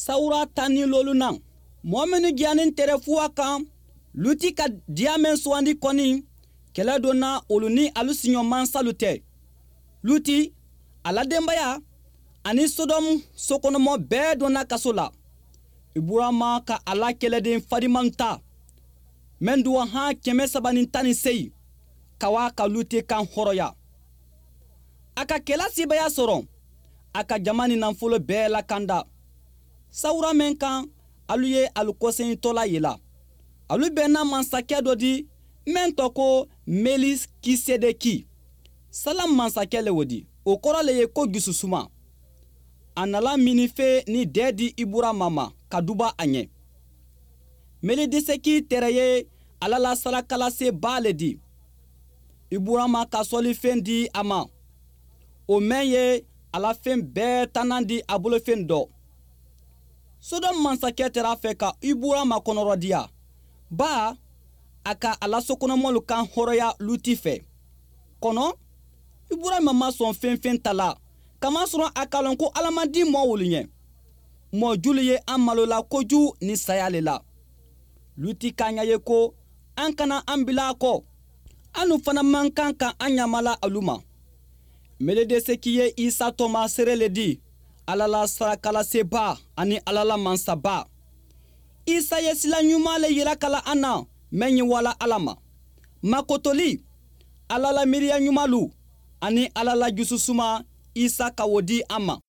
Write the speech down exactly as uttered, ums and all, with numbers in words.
Sawura tan ni lolunan, mɔɔ minnu diyanin tɛrɛ fuwa kan Luti ka diya mɛn sugandi kɔni, kɛlɛ donna olu ni alu siɲɔ mansalu tɛ. Luti, a la denbaya ani Sodɔmu sokɔnɔmɔ bɛɛ donna kaso la. Iburama ka a la kɛlɛden fariman ta mɛn duwa han kɛmɛ saba ni tan ni seyi ka wa ka Luti kan hɔrɔnya. A ka kɛlɛ sebaya sɔrɔ, a ka jama ni nafolo bɛɛ lakanda. Sawura mɛn kan, alu ye alu kɔsɛyintɔla yela, alu bɛnna mansakɛ dɔ di mɛn tɔ ko Melikisedeki. Salam mansakɛ le o di, o kɔrɔ le ye ko jususuma. A nala minife ni dɛɛ di Iburama ma ka duba a ɲɛ. Melidiseki tɛrɛ ye Ala la sarakalasebaa le di. Iburama ka sɔlifɛn di a ma, o mɛn ye a la fɛn bɛɛ tannan di a bolofɛn dɔ. Sodɔm mansakɛ tɛrɛ a fɛ ka Iburama kɔnɔrɔdiya, ba a ka a la sokɔnɔmɔlu kan hɔrɔnya Luti fɛ. Kɔnɔ Iburama ma sɔn fɛn fɛn ta la, kamasɔrɔ a k'a lɔn ko Ala man di mɔɔ wolu ɲɛ. Mɔɔ julu ye an malola koju ni saya le la. Luti k'a ɲa ye ko an kana an bila a kɔ, anu fana man kan ka an ɲamala alu ma. Meledeseki ye Isa tɔma seere le di, Ala la sarakalaseba ani Ala la mansaba. Isa ye sila ɲuman le yira kala an na mɛn ye wala Ala ma. Makotoli, Ala la miiriya ɲumanlu ani Ala la jususuma, Isa ka o di an ma.